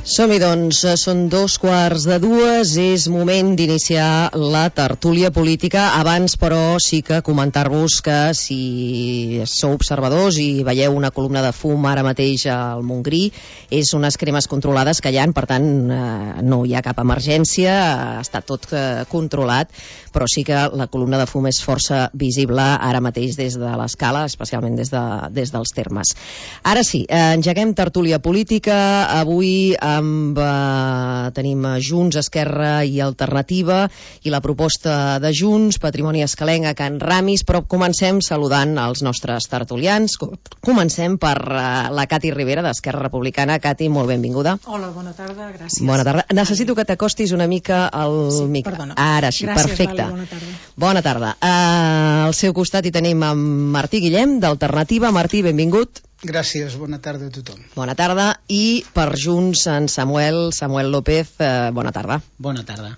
Som-hi, doncs, són 2:15, és moment d'iniciar la tertúlia política. Abans, però, sí que comentar-vos que si sou observadors i veieu una columna de fum ara mateix al Montgrí, és unes cremes controlades que hi ha, per tant, no hi ha cap emergència, està tot controlat, però sí que la columna de fum és força visible ara mateix des de l'escala, especialment des dels termes. Ara sí, engeguem tertúlia política. Avui tenim Junts, Esquerra i Alternativa i la proposta de Junts, Patrimoni Escalenc a Can Ramis, però comencem saludant els nostres tertulians. Comencem per la Cati Rivera d'Esquerra Republicana. Cati, molt benvinguda. Hola, bona tarda, gràcies. Bona tarda. Necessito que t'acostis una mica al micro. Perdona. Ara sí, gràcies, perfecte. Vale, bona tarda. Bona tarda. Al seu costat hi tenim en Martí Guillem, d'Alternativa. Martí, benvingut. Gràcies, bona tarda a tothom. Bona tarda. I per Junts, en Samuel López, bona tarda. Bona tarda.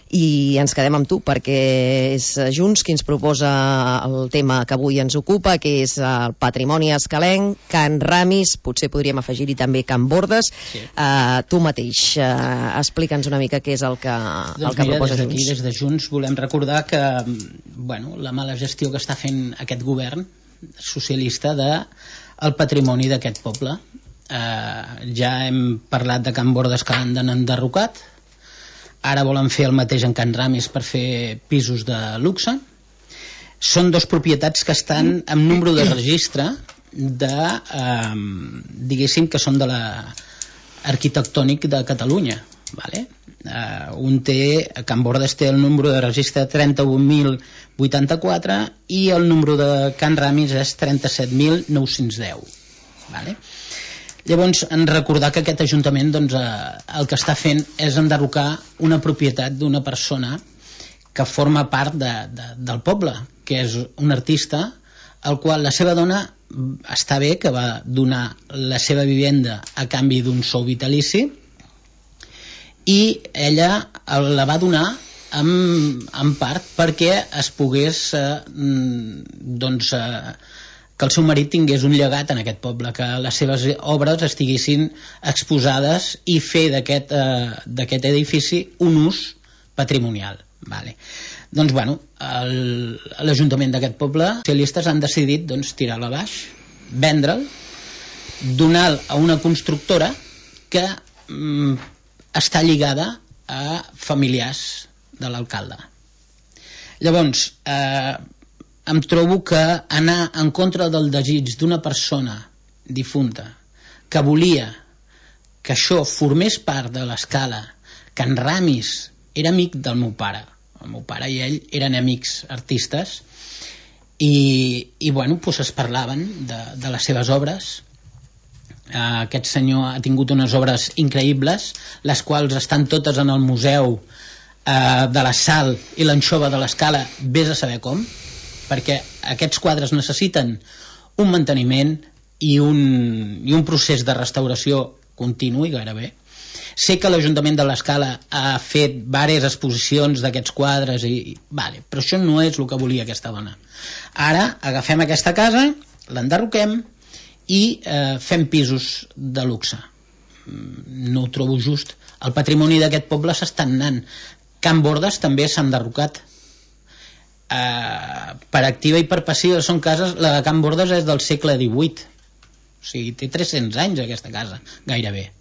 I ens quedem amb tu, perquè és Junts qui ens proposa el tema que avui ens ocupa, que és el patrimoni escalenc, Can Ramis, potser podríem afegir-hi també Can Bordes. Sí. Tu mateix, explica'ns una mica què és el que proposa Junts. Aquí, des de Junts, volem recordar que la mala gestió que està fent aquest govern socialista del patrimoni d'aquest poble. Ja hem parlat de Can Bordes, que l'han enderrocat. Ara volen fer el mateix en Can Ramis per fer pisos de luxe. Són dos propietats que estan amb número de registre diguéssim que són de l'arquitectònic de Catalunya, vale? Can Bordes té el número de registre 31.084 i el número de Can Ramis és 37.910, vale? Llavors, en recordar que aquest Ajuntament el que està fent és enderrocar una propietat d'una persona que forma part del poble, que és un artista al qual la seva dona està bé, que va donar la seva vivenda a canvi d'un sou vitalici, i ella la va donar en part perquè es pogués que el seu marit tingués un llegat en aquest poble, que les seves obres estiguessin exposades i fer d'aquest edifici un ús patrimonial, vale. Doncs l'Ajuntament d'aquest poble, els socialistes han decidit tirar-la a baix, vendre'l, donar-lo a una constructora que està lligada a familiars de l'alcalde. Llavors, em trobo que anar en contra del desig d'una persona difunta que volia que això formés part de l'escala. Can Ramis era amic del meu pare. El meu pare i ell eren amics artistes i es parlaven de les seves obres. Aquest senyor ha tingut unes obres increïbles, les quals estan totes en el museu de la Sal i l'Anxova de l'Escala, vés a saber com, perquè aquests quadres necessiten un manteniment i un procés de restauració continu i gairebé. Sé que l'Ajuntament de l'Escala ha fet diverses exposicions d'aquests quadres, però això no és el que volia aquesta dona. Ara agafem aquesta casa, l'enderroquem i fem pisos de luxe. No ho trobo just. El patrimoni d'aquest poble s'està anant. Can Bordes també s'ha enderrocat. Per activa i per passiva són cases. La de Can Bordes és del segle XVIII, o sigui, té 300 anys aquesta casa, gairebé.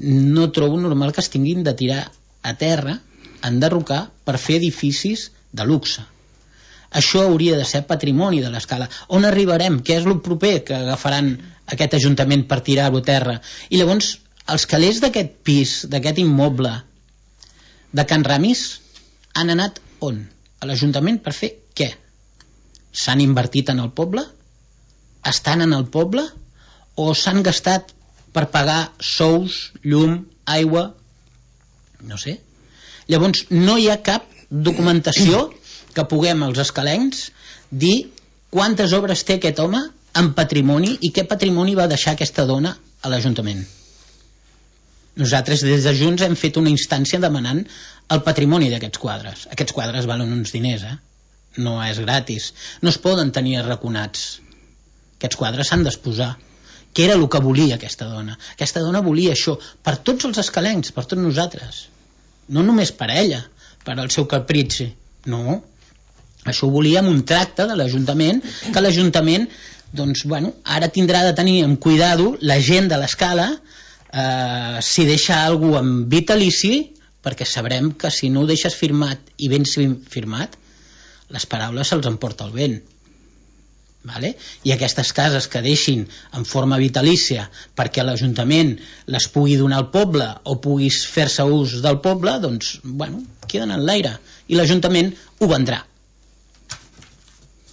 No trobo normal que es tinguin de tirar a terra, enderrocar, per fer edificis de luxe. Això hauria de ser patrimoni de l'Escala. On arribarem? Què és el proper que agafaran aquest Ajuntament per tirar-ho a terra? I llavors els calés d'aquest pis, d'aquest immoble de Can Ramis, han anat on? A l'Ajuntament per fer què? S'han invertit en el poble? Estan en el poble? O s'han gastat per pagar sous, llum, aigua? No sé. Llavors no hi ha cap documentació que puguem els escalencs dir quantes obres té aquest home en patrimoni i què patrimoni va deixar aquesta dona a l'Ajuntament. Nosaltres des de Junts hem fet una instància demanant el patrimoni d'aquests quadres. Aquests quadres valen uns diners, no és gratis. No es poden tenir arraconats. Aquests quadres s'han d'exposar Què era el que volia aquesta dona? Aquesta dona volia això per tots els escalencs, per tots nosaltres, no només per ella, per al seu capritxi, no, això ho volia amb un tracte de l'Ajuntament, que l'Ajuntament doncs, bueno, ara tindrà de tenir en cuidado la gent de l'Escala, si deixa algú amb vitalici, perquè sabrem que si no ho deixes firmat i ben firmat, les paraules se'ls emporta el vent. Vale? I aquestes cases que deixin en forma vitalícia perquè l'Ajuntament les pugui donar al poble o puguis fer-se ús del poble, doncs, bueno, queden en l'aire. I l'Ajuntament ho vendrà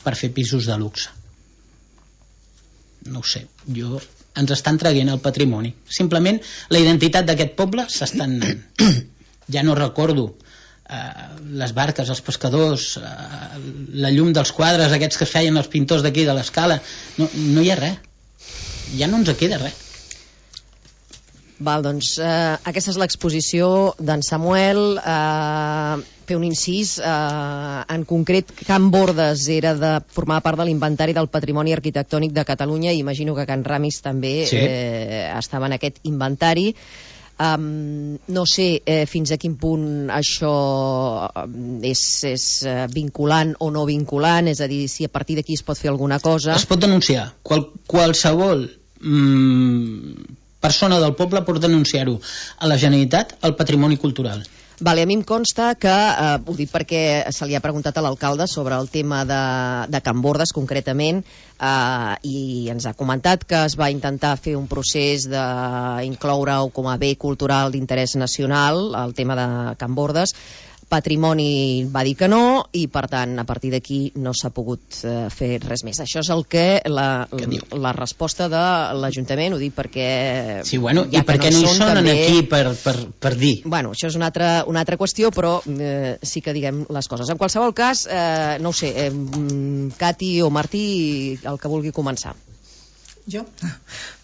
per fer pisos de luxe. No ho sé, ens estan traient el patrimoni. Simplement la identitat d'aquest poble s'estan anant. Ja no recordo les barques, els pescadors, la llum dels quadres aquests que es feien els pintors d'aquí de l'Escala, no hi ha res, ja no ens queda res. Val, doncs aquesta és l'exposició d'en Samuel. Fer un incís, en concret Can Bordes era de formar part de l'inventari del patrimoni arquitectònic de Catalunya i imagino que Can Ramis també estava en aquest inventari. No sé fins a quin punt això és vinculant o no vinculant, és a dir, si a partir d'aquí es pot fer alguna cosa. Es pot denunciar, qualsevol persona del poble pot denunciar-ho a la Generalitat, al patrimoni cultural. Vale, a mi em consta que, ho dic perquè se li ha preguntat a l'alcalde sobre el tema de Can Bordes concretament, i ens ha comentat que es va intentar fer un procés d'incloure-ho com a bé cultural d'interès nacional, el tema de Can Bordes. Patrimoni va dir que no i per tant a partir d'aquí no s'ha pogut fer res més. Això és el que la resposta de l'Ajuntament, ho dic perquè sí, bueno, i perquè no hi són també aquí per dir. Bueno, això és una altra qüestió, però sí que diguem les coses. En qualsevol cas, no ho sé, Cati o Martí, el que vulgui començar. Jo?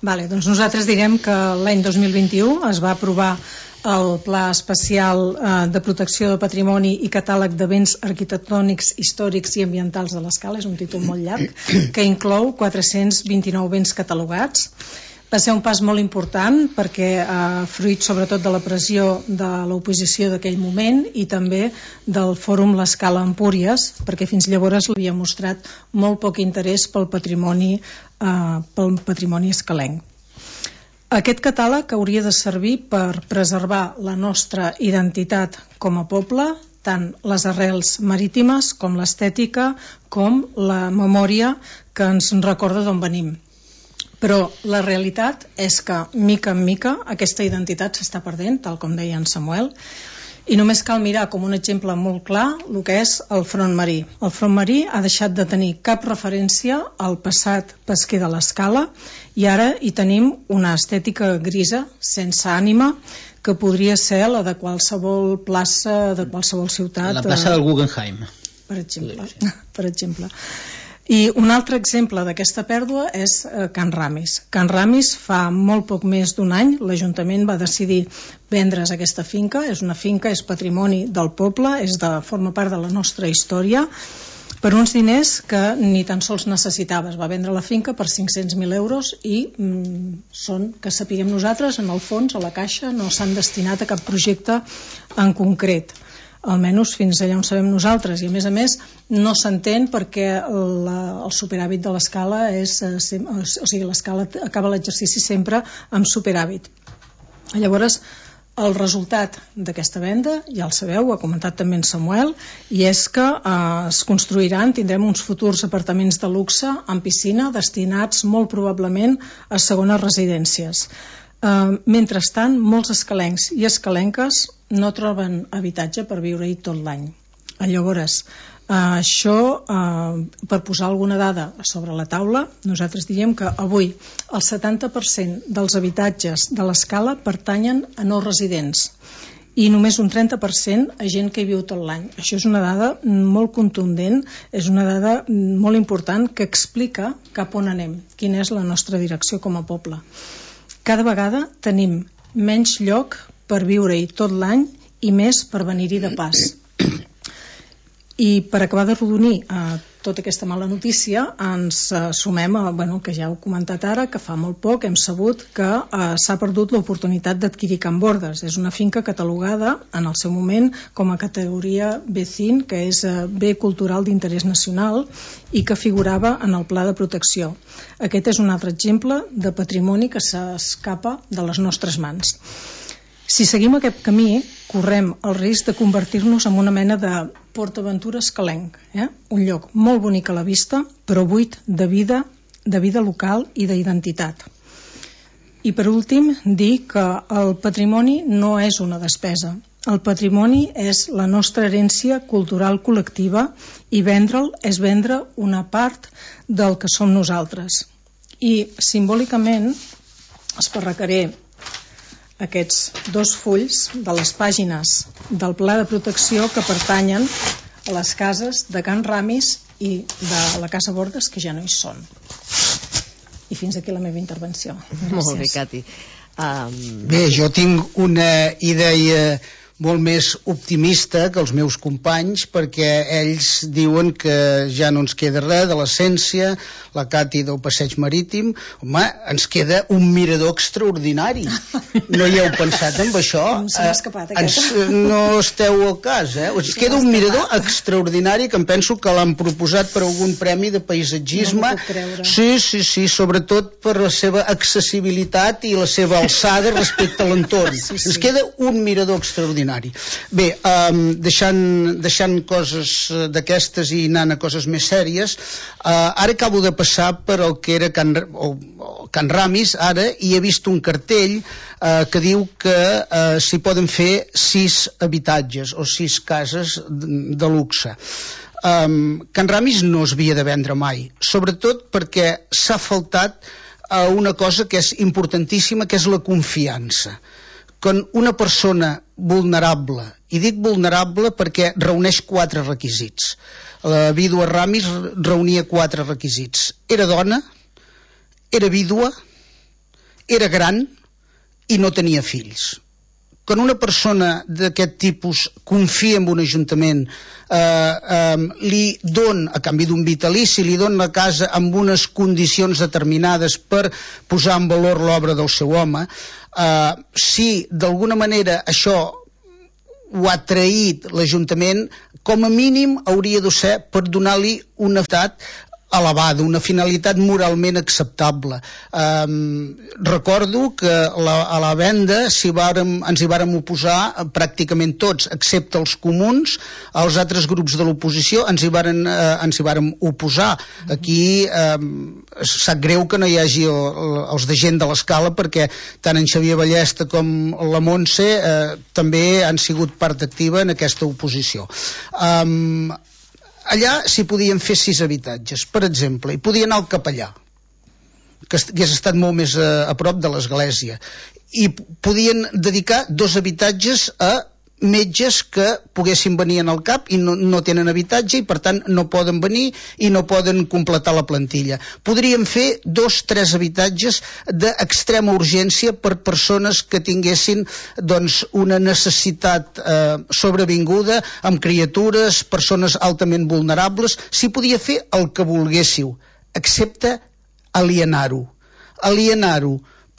Vale, doncs nosaltres direm que l'any 2021 es va aprovar el Pla Especial de Protecció del Patrimoni i Catàleg de Béns Arquitectònics, Històrics i Ambientals de l'Escala, és un títol molt llarg, que inclou 429 béns catalogats. Va ser un pas molt important perquè fruit sobretot de la pressió de l'oposició d'aquell moment i també del Fòrum L'Escala Empúries, perquè fins llavors l'havia mostrat molt poc interès pel patrimoni escalenc. Aquest catàleg hauria de servir per preservar la nostra identitat com a poble, tant les arrels marítimes com l'estètica, com la memòria que ens recorda d'on venim. Però la realitat és que, mica en mica, aquesta identitat s'està perdent, tal com deia en Samuel, i només cal mirar com un exemple molt clar el que és el front marí. El front marí ha deixat de tenir cap referència al passat pesquer de l'Escala i ara hi tenim una estètica grisa, sense ànima, que podria ser la de qualsevol plaça de qualsevol ciutat. La plaça del Guggenheim. Per exemple. I un altre exemple d'aquesta pèrdua és Can Ramis. Can Ramis fa molt poc més d'un any l'Ajuntament va decidir vendre's aquesta finca. És una finca, és patrimoni del poble, forma part de la nostra història, per uns diners que ni tan sols necessitava. Es va vendre la finca per 500.000 euros i són, que sapiguem nosaltres, en el fons, a la caixa, no s'han destinat a cap projecte en concret. Almenys fins allà on sabem nosaltres, i a més no s'entén perquè el superàvit de l'Escala l'Escala acaba l'exercici sempre amb superàvit. Llavors el resultat d'aquesta venda, ja el sabeu, ho ha comentat també en Samuel, i és que es construiran, tindrem uns futurs apartaments de luxe amb piscina destinats molt probablement a segones residències. Mentrestant, molts escalencs i escalenques no troben habitatge per viure-hi tot l'any. Llavors, això, per posar alguna dada sobre la taula, nosaltres diríem que avui el 70% dels habitatges de l'Escala pertanyen a no residents i només un 30% a gent que hi viu tot l'any. Això és una dada molt contundent, és una dada molt important que explica cap on anem, quina és la nostra direcció com a poble. Cada vegada tenim menys lloc per viure-hi tot l'any i més per venir-hi de pas. I per acabar de rodonir tota aquesta mala notícia, ens sumem a, que ja heu comentat ara, que fa molt poc hem sabut que s'ha perdut l'oportunitat d'adquirir Can Bordes. És una finca catalogada en el seu moment com a categoria B5, que és bé cultural d'interès nacional i que figurava en el pla de protecció. Aquest és un altre exemple de patrimoni que s'escapa de les nostres mans. Si seguim aquest camí, correm el risc de convertir-nos en una mena de PortAventura escalenc, un lloc molt bonic a la vista, però buit de vida local i d'identitat. I per últim, dir que el patrimoni no és una despesa. El patrimoni és la nostra herència cultural col·lectiva i vendre'l és vendre una part del que som nosaltres. I simbòlicament esparracaré aquests 2 fulls de les pàgines del pla de protecció que pertanyen a les cases de Can Ramis i de la Casa Bordes, que ja no hi són. I fins aquí la meva intervenció. Gràcies. Molt bé, Cati. Bé, jo tinc una idea molt més optimista que els meus companys, perquè ells diuen que ja no ens queda res de l'essència, la Cati del passeig marítim. Home, ens queda un mirador extraordinari. No hi heu pensat en això? Se m'ha escapat aquesta. No esteu al cas, Ens queda un mirador extraordinari que em penso que l'han proposat per algun premi de paisatgisme. No m'ho puc creure. Sí, sobretot per la seva accessibilitat i la seva alçada respecte a l'entorn. Ens queda un mirador extraordinari. Bé, deixant coses d'aquestes i anant a coses més sèries, ara acabo de passar per el que era Can Ramis ara, i he vist un cartell que diu que s'hi poden fer 6 habitatges o 6 cases de luxe. Can Ramis no es havia de vendre mai, sobretot perquè s'ha faltat a una cosa que és importantíssima, que és la confiança. Quan una persona vulnerable, i dic vulnerable perquè reuneix 4 requisits. La vídua Ramis reunia 4 requisits. Era dona, era vídua, era gran i no tenia fills. Quan una persona d'aquest tipus confia en un ajuntament, li dona, a canvi d'un vitalici, li dona la casa amb unes condicions determinades per posar en valor l'obra del seu home, si d'alguna manera això ho ha traït l'Ajuntament, com a mínim hauria de ser per donar-li una finalitat elevada, una finalitat moralment acceptable. Recordo que a la venda ens hi vàrem oposar pràcticament tots, excepte els comuns. Els altres grups de l'oposició ens hi vàrem oposar. Aquí sap greu que no hi hagi els de gent de l'Escala, perquè tant en Xavier Ballesta com la Montse també han sigut part activa en aquesta oposició. Allà s'hi podien fer 6 habitatges. Per exemple, hi podia anar el capellà, que hagués estat molt més a prop de l'església, i podien dedicar 2 habitatges a metges que poguessin venir en el CAP i no tenen habitatge i per tant no poden venir i no poden completar la plantilla. Podríem fer 2-3 habitatges d'extrema urgència per persones que tinguessin una necessitat sobrevinguda, amb criatures, persones altament vulnerables. S'hi podia fer el que volguéssiu, excepte alienar-ho,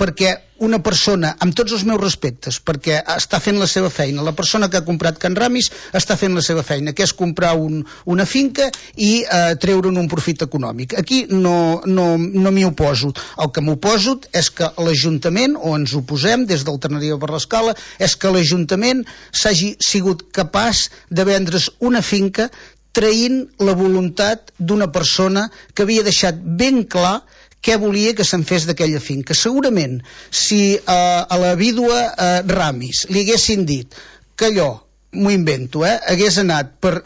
perquè una persona, amb tots els meus respectes, perquè està fent la seva feina, la persona que ha comprat Can Ramis està fent la seva feina, que és comprar una finca i treure'n un profit econòmic. Aquí no m'hi oposo. El que m'oposo és que l'Ajuntament, o ens oposem des d'Alternativa per l'Escala, és que l'Ajuntament s'hagi sigut capaç de vendre's una finca traint la voluntat d'una persona que havia deixat ben clar què volia que se'n fes d'aquella finca. Segurament, si a la vídua Ramis li haguessin dit que allò, m'ho invento, hagués anat per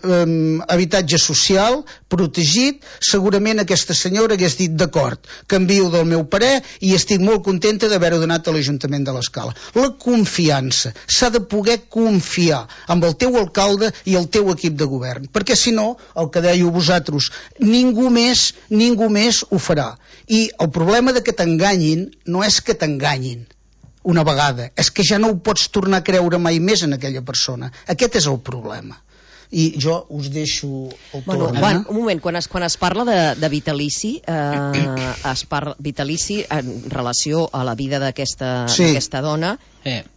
habitatge social, protegit, segurament aquesta senyora hagués dit d'acord, canvio del meu parer i estic molt contenta d'haver-ho donat a l'Ajuntament de l'Escala. La confiança, s'ha de poder confiar amb el teu alcalde i el teu equip de govern, perquè si no, el que dèieu vosaltres, ningú més ho farà. I el problema de que t'enganyin no és que t'enganyin una vegada, és que ja no ho pots tornar a creure mai més en aquella persona. Aquest és el problema. I jo us deixo el torn. Un moment, quan es parla de vitalici, es parla vitalici en relació a la vida d'aquesta dona,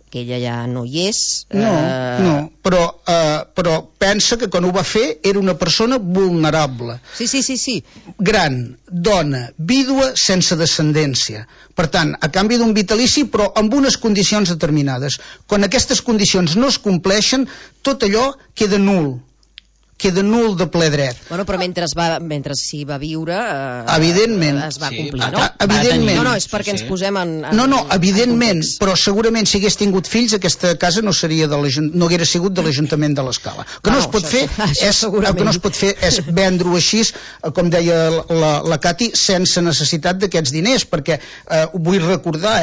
que ella ja no hi és. No, però pensa que quan ho va fer era una persona vulnerable. Sí. Gran, dona, vídua sense descendència. Per tant, a canvi d'un vitalici, però amb unes condicions determinades. Quan aquestes condicions no es compleixen, tot allò queda nul de ple dret. Bueno, però mentre s'hi va viure evidentment es va complir, no? Evidentment. No, és perquè ens posem en No, evidentment, però segurament si hagués tingut fills aquesta casa no haguera sigut de l'Ajuntament de l'Escala. El que no es pot fer és vendre-ho així, com deia la Cati, sense necessitat d'aquests diners, perquè vull recordar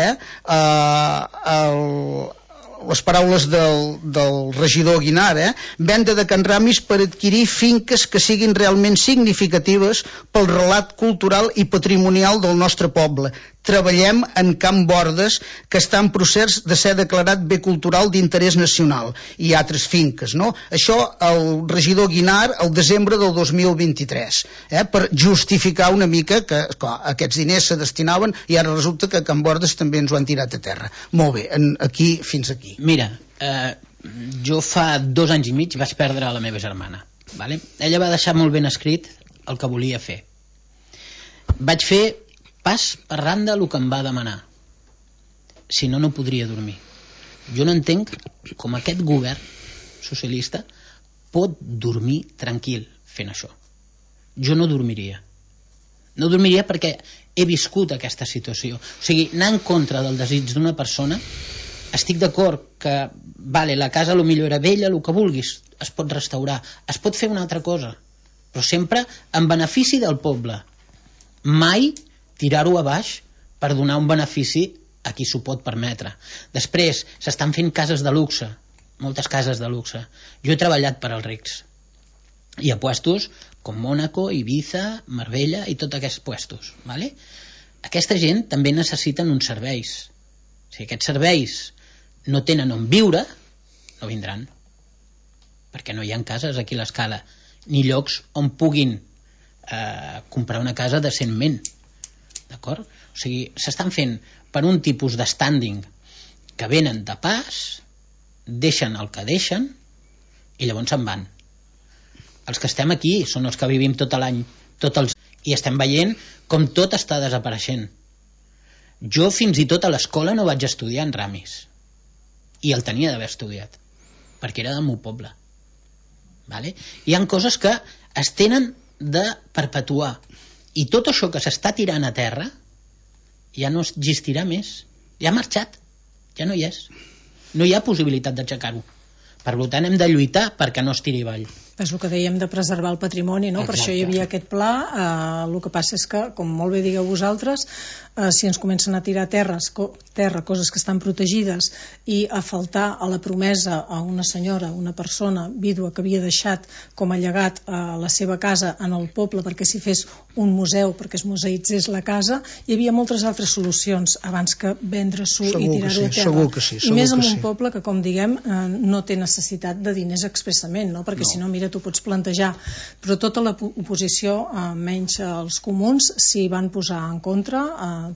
les paraules del regidor Guinar, venda de Can Ramis per adquirir finques que siguin realment significatives pel relat cultural i patrimonial del nostre poble. Treballem en Can Bordes, que està en procés de ser declarat bé cultural d'interès nacional, i altres finques, no? Això el regidor Guinar el desembre del 2023, per justificar una mica que aquests diners se destinaven i ara resulta que a Can Bordes també ens ho han tirat a terra. Molt bé, fins aquí. Mira, jo fa 2 anys i mig vaig perdre la meva germana, vale? Ella va deixar molt ben escrit el que volia fer. Vaig fer pas per randa el que em va demanar. Si no, no podria dormir. Jo no entenc com aquest govern socialista pot dormir tranquil fent això. Jo no dormiria. No dormiria perquè he viscut aquesta situació. O sigui, anar en contra del desig d'una persona, estic d'acord que la casa potser era vella, el que vulguis, es pot restaurar, es pot fer una altra cosa, però sempre en benefici del poble. Mai tirar-ho a baix per donar un benefici a qui s'ho pot permetre. Després, s'estan fent cases de luxe, moltes cases de luxe. Jo he treballat per als rics. Hi ha puestos com Mónaco, Ibiza, Marbella i tots aquests puestos. ¿Vale? Aquesta gent també necessiten uns serveis. Si aquests serveis no tenen on viure, no vindran. Perquè no hi ha cases aquí a l'Escala, ni llocs on puguin comprar una casa decentment. D'acord? O sigui, s'estan fent per un tipus de standing que venen de pas, deixen el que deixen i llavors se'n van. Els que estem aquí són els que vivim tot l'any, i estem veient com tot està desapareixent. Jo fins i tot a l'escola no vaig estudiar en Ramis, i el tenia d'haver estudiat perquè era del meu poble. Vale? Hi ha coses que es tenen de perpetuar, i tot això que s'està tirant a terra ja no existirà més, ja ha marxat, ja no hi és, no hi ha possibilitat d'aixecar-ho. Per tant hem de lluitar perquè no es tiri avall. És el que dèiem de preservar el patrimoni, no? Per això hi havia aquest pla. El que passa és que, com molt bé digueu vosaltres, si ens comencen a tirar terra, coses que estan protegides, i a faltar a la promesa a una senyora, una persona vídua que havia deixat com a llegat a la seva casa en el poble perquè s'hi fes un museu, perquè es museïtzés la casa, hi havia moltes altres solucions abans que vendre-s'ho i tirar-ho a terra. Segur que sí. I més en un poble que, com diguem, no té necessitat de diners expressament, no? Perquè si no, mira, t'ho pots plantejar, però tota l'oposició, menys els comuns, s'hi van posar en contra,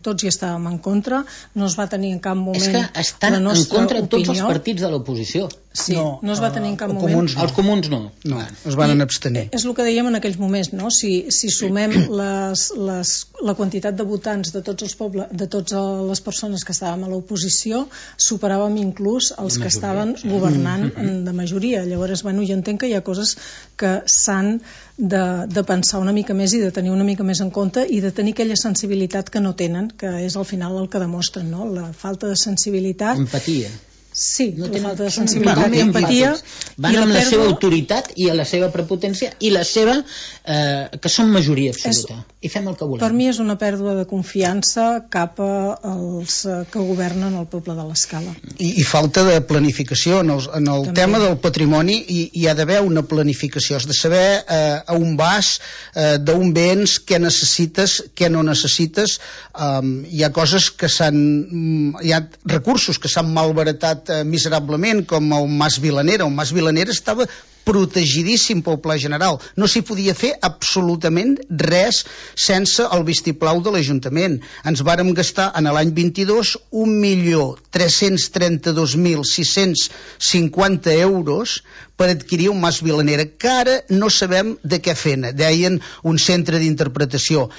tots hi estàvem en contra, no es va tenir en cap moment la nostra opinió. És que estan en contra tots els partits de l'oposició. Sí, no es va tenir en cap moment. Els comuns no. No, es van abstenir. És el que dèiem en aquells moments, no? Si sumem la quantitat de votants de tots els pobles, de totes les persones que estàvem a l'oposició, superàvem inclús els que estaven governant de majoria. Llavors, bueno, jo entenc que hi ha coses que s'han de pensar una mica més i de tenir una mica més en compte i de tenir aquella sensibilitat que no tenen, que és al final el que demostren, no? La falta de sensibilitat. Empatia. Sí, no la falta de sensibilitat i empatia. Van amb la seva autoritat i a la seva prepotència i la seva que són majoria absoluta. I fem el que volem. Per mi és una pèrdua de confiança cap als que governen el poble de l'Escala. I falta de planificació. En el tema del patrimoni hi ha d'haver una planificació. Has de saber a on vas, d'on vens, què necessites, què no necessites. Hi ha coses que hi ha recursos que s'han malbaratat miserablement, com el Mas Vilanera. El Mas Vilanera estava protegidíssim pel Pla General. No s'hi podia fer absolutament res sense el vistiplau de l'Ajuntament. Ens vàrem gastar en l'any 22 1.332.650 euros per adquirir un mas Vilanera, que ara no sabem de què fer-ne. Deien un centre d'interpretació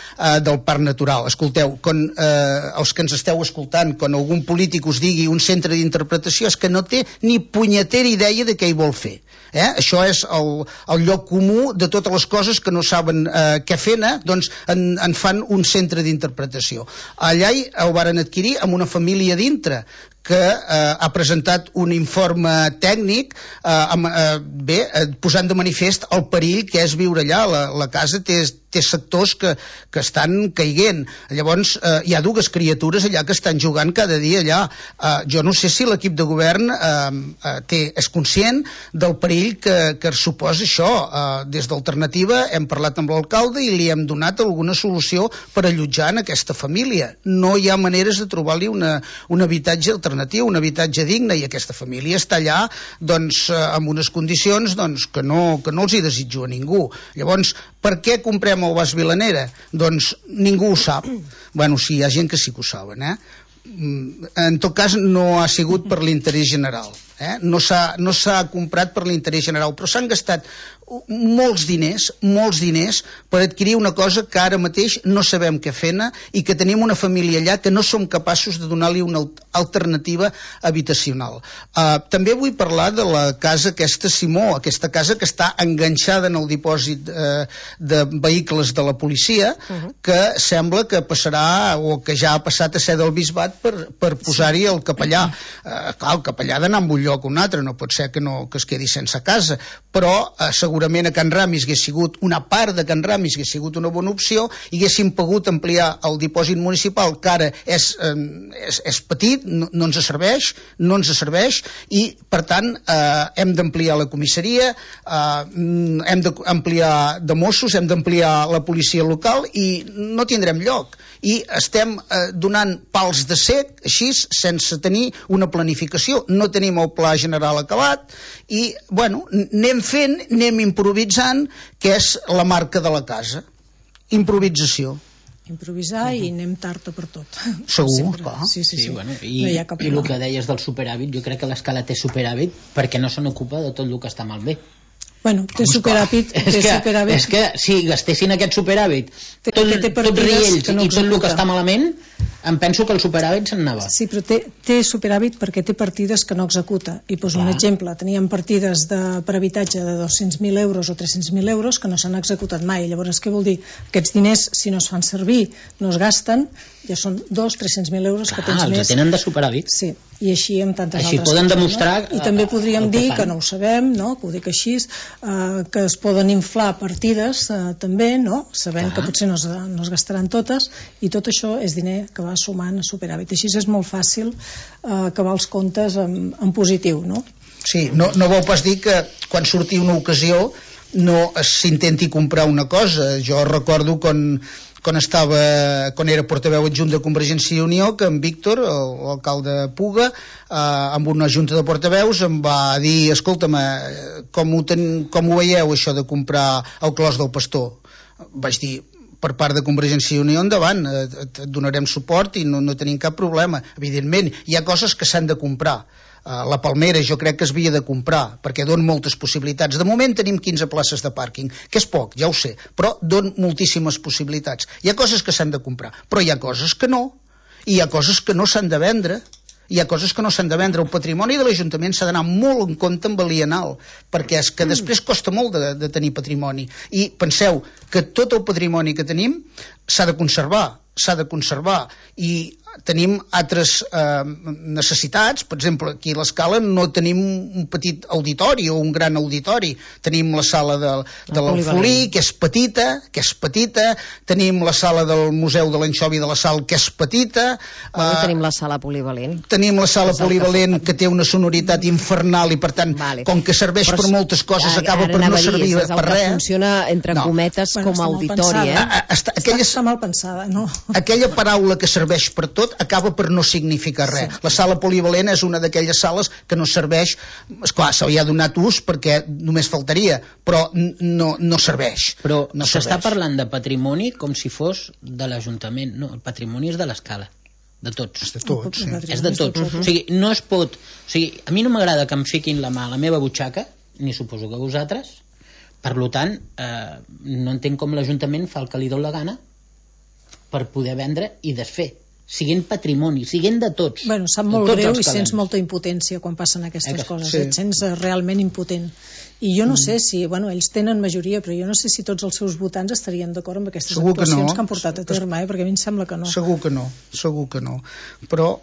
del Parc Natural. Escolteu, els que ens esteu escoltant, quan algun polític us digui un centre d'interpretació, és que no té ni punyetera idea de què hi vol fer. Això és el lloc comú de totes les coses que no saben què fer-ne, doncs en fan un centre d'interpretació. Allà ho varen adquirir amb una família dintre que ha presentat un informe tècnic posant de manifest el perill que és viure allà. La casa té sectors que estan caiguent. Llavors hi ha dues criatures allà que estan jugant cada dia allà. Jo no sé si l'equip de govern és conscient del perill que suposa això. Des d'Alternativa hem parlat amb l'alcalde i li hem donat alguna solució per allotjar en aquesta família. No hi ha maneres de trobar-li un habitatge alternatiu, un habitatge digne, i aquesta família està allà amb unes condicions que no els hi desitjo a ningú. Llavors, per què comprem el Mas Vilanera? Doncs ningú ho sap. Bueno, sí, hi ha gent que sí que ho saben, En tot cas, no ha sigut per l'interès general. No s'ha comprat per l'interès general, però s'han gastat molts diners per adquirir una cosa que ara mateix no sabem què fer-ne i que tenim una família allà que no som capaços de donar-li una alternativa habitacional. També vull parlar de la casa aquesta Simó, aquesta casa que està enganxada en el dipòsit de vehicles de la policia, que sembla que passarà, o que ja ha passat a ser del bisbat per posar-hi el capellà. Clar, el capellà ha d'anar a un lloc o un altre, no pot ser que es quedi sense casa, però segurament a Can Ramis hagués sigut, una part de Can Ramis hagués sigut una bona opció, i haguéssim pogut ampliar el dipòsit municipal, que ara és petit, no ens serveix, i per tant hem d'ampliar la comissaria, hem d'ampliar de Mossos, hem d'ampliar la policia local, i no tindrem lloc, i estem donant pals de cec així, sense tenir una planificació. No tenim el pla general acabat i, bueno, anem improvisant, que és la marca de la casa. Improvisació. Improvisar i anem tard per tot. Segur, clar. Sí. Bueno, i el que deies del superàvit, jo crec que l'escala té superàvit perquè no se n'ocupa de tot el que està malbé. Bueno, té superàvit. És que si gastessin aquest superàvit tot riells i tot el que està malament, em penso que el superàvit se'n anava. Sí, però té superàvit perquè té partides que no executa. I poso un exemple, teníem partides per habitatge de 200.000 euros o 300.000 euros que no s'han executat mai. Llavors, què vol dir? Aquests diners, si no es fan servir, no es gasten, ja són 200-300.000 euros que tens més. Els tenen de superàvit. Sí, i així amb tantes altres coses. Així poden demostrar... I també podríem dir, que no ho sabem, que ho dic així, que es poden inflar partides també, sabent que potser no es gastaran totes, i tot això és diner que va sumant a superàvit. Així és molt fàcil acabar els comptes en positiu, no? Sí, no vol pas dir que quan surti una ocasió no s'intenti comprar una cosa. Jo recordo quan era portaveu adjunt de Convergència i Unió, que en Víctor, l'alcalde Puga, amb una junta de portaveus em va dir: escolta'm, com ho veieu això de comprar el Clos del Pastor? Vaig dir: per part de Convergència i Unió, endavant, et donarem suport i no tenim cap problema. Evidentment, hi ha coses que s'han de comprar. La Palmera jo crec que es havia de comprar perquè dona moltes possibilitats. De moment tenim 15 places de pàrquing, que és poc, ja ho sé, però dona moltíssimes possibilitats. Hi ha coses que s'han de comprar, però hi ha coses que no, i hi ha coses que no s'han de vendre. El patrimoni de l'Ajuntament s'ha d'anar molt en compte amb l'alienal, perquè és que després costa molt de tenir patrimoni. I penseu que tot el patrimoni que tenim s'ha de conservar, i tenim altres necessitats. Per exemple, aquí a l'Escala no tenim un petit auditori o un gran auditori. Tenim la sala de l'Alfolí, que és petita, tenim la sala del Museu de l'Anxovi de la Sal, que és petita. Tenim la sala polivalent. Tenim la sala polivalent, que té una sonoritat infernal, i per tant, com que serveix per moltes coses, acaba per no servir per res. Funciona, entre cometes, com a auditori. Està mal pensada, no? Aquella paraula que serveix per tot tot acaba per no significar res. La sala polivalent és una d'aquelles sales que no serveix, esclar, se li ha donat ús perquè només faltaria, però no serveix. Però s'està parlant de patrimoni com si fos de l'Ajuntament. No, el patrimoni és de l'Escala, de tots. És de tots, sí. És de tots. O sigui, no es pot... O sigui, a mi no m'agrada que em fiquin la mà a la meva butxaca, ni suposo que vosaltres. Per tant, no entenc com l'Ajuntament fa el que li dona la gana per poder vendre i desfer, siguent patrimoni, siguent de tots. Bueno, sap molt greu i sents molta impotència quan passen aquestes coses, et sents realment impotent. I jo no sé si, ells tenen majoria, però jo no sé si tots els seus votants estarien d'acord amb aquestes actuacions que han portat a terme, perquè a mi em sembla que no. Segur que no. Però...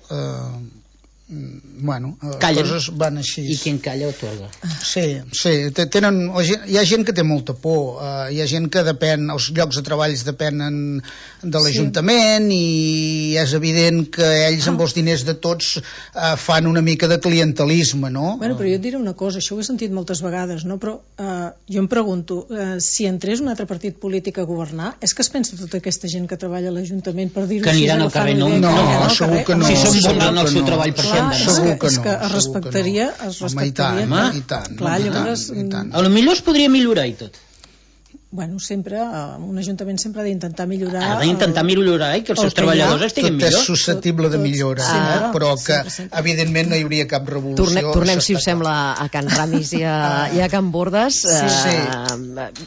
coses van així. I quien calla otorga. Sí, hi ha gent que té molta por, hi ha gent que depèn, els llocs de treball depenen de l'Ajuntament i és evident que ells amb els diners de tots fan una mica de clientelisme, no? Però jo et diré una cosa, això ho he sentit moltes vegades, no? Però jo em pregunto, si entrés un altre partit polític a governar, és que es pensa tota aquesta gent que treballa a l'Ajuntament per dir-ho que aniran al carrer? No, segur que no. Si són bons en el seu treball per és que es respectaria i tant. Clar, llavors a lo millor es podria millorar i tot. Sempre, un ajuntament sempre ha d'intentar millorar. Ha d'intentar millorar i que els seus treballadors estiguin millor. Tot és susceptible de millora, però que evidentment no hi hauria cap revolució. Tornem, si us sembla, a Can Ramis i a Can Bordes.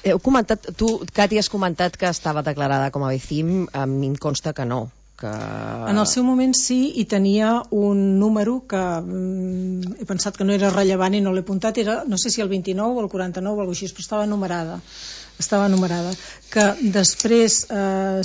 Heu comentat, tu, Cati, has comentat que estava declarada com a BCIM, a mi em consta que no. En el seu moment sí, i tenia un número que he pensat que no era rellevant i no l'he apuntat, era no sé si el 29 o el 49 o alguna cosa així, però estava numerada, que després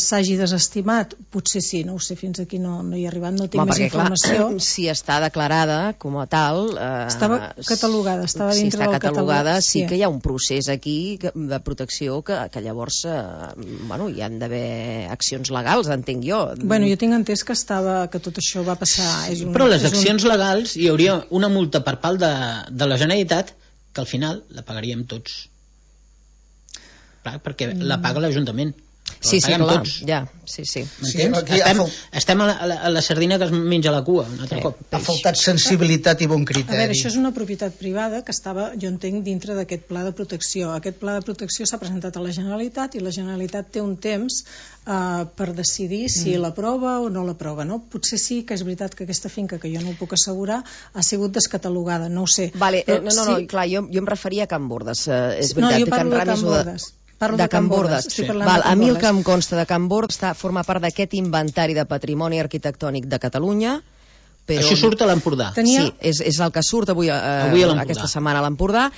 s'hagi desestimat, potser sí, no ho sé, fins aquí no hi he arribat, no tinc més informació. Clar, si està declarada com a tal... estava catalogada, estava dintre del catalogada, sí que hi ha un procés aquí de protecció que llavors hi han d'haver accions legals, entenc jo. Jo tinc entès que tot això va passar... Però les accions legals hi hauria una multa per part de la Generalitat que al final la pagaríem tots. Clar, perquè la paga l'Ajuntament. Sí, clar, ja, sí. Estem a la sardina que es menja la cua un altre cop. Ha faltat sensibilitat i bon criteri. A veure, això és una propietat privada que estava, jo entenc, dintre d'aquest pla de protecció. Aquest pla de protecció s'ha presentat a la Generalitat i la Generalitat té un temps per decidir si l'aprova o no l'aprova, no? Potser sí que és veritat que aquesta finca, que jo no ho puc assegurar, ha sigut descatalogada, no ho sé. No, clar, jo em referia a Can Bordes. No, jo parlo de Can Bordes. De Can Bordes. A mi el que em consta de Can Bordes forma part d'aquest inventari de patrimoni arquitectònic de Catalunya. Això surt a l'Empordà. Sí, és el que surt avui aquesta setmana a l'Empordà,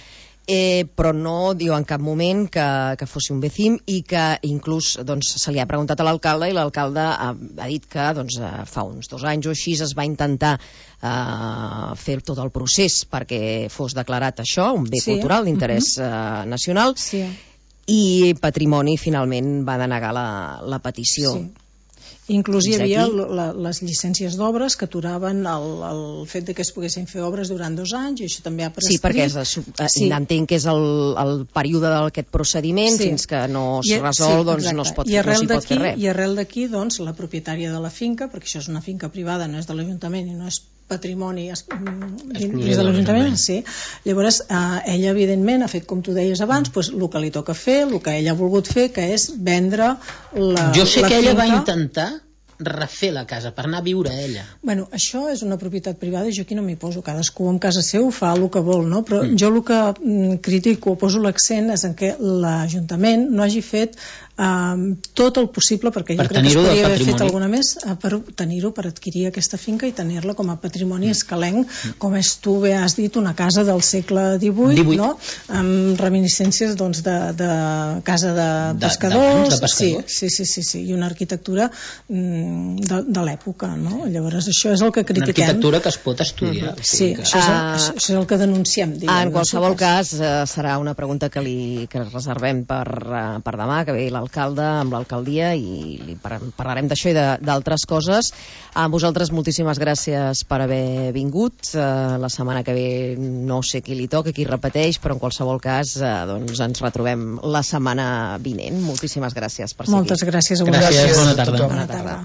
però no diu en cap moment que fos un BCIM, i que inclús se li ha preguntat a l'alcalde i l'alcalde ha dit que fa uns 2 anys o així es va intentar fer tot el procés perquè fos declarat això, un bé cultural d'interès nacional, i Patrimoni finalment va denegar la petició. Inclús hi havia les llicències d'obres que aturaven el fet que es poguessin fer obres durant 2 anys, i això també ha prescrit. Sí, perquè entenc que és el període d'aquest procediment, fins que no es resol, doncs no s'hi pot fer res. I arrel d'aquí, la propietària de la finca, perquè això és una finca privada, no és de l'Ajuntament i no és patrimoni dins de l'Ajuntament, llavors ella evidentment ha fet, com tu deies abans, el que li toca fer, el que ella ha volgut fer, que és vendre la finca. Jo sé que ella va intentar refer la casa per anar a viure a ella. Això és una propietat privada i jo aquí no m'hi poso, cadascú en casa seu fa el que vol, no? Però jo el que critico o poso l'accent és en què l'Ajuntament no hagi fet tot el possible, perquè jo crec que es podria haver fet alguna més per tenir-ho, per adquirir aquesta finca i tenir-la com a patrimoni escalenc, com és, tu bé has dit, una casa del segle XVIII, no? Amb reminiscències de casa de pescadors, sí, i una arquitectura de l'època, no? Llavors això és el que critiquem. Una arquitectura que es pot estudiar. Sí, això és el que denunciem. En qualsevol cas, serà una pregunta que reservem per demà, que ve l'alcalde amb l'alcaldia, i parlarem d'això i d'altres coses. A vosaltres moltíssimes gràcies per haver vingut. La setmana que ve no sé qui li toca, qui repeteix, però en qualsevol cas ens retrobem la setmana vinent. Moltíssimes gràcies per ser aquí. Moltes gràcies a vosaltres. Gràcies, bona tarda.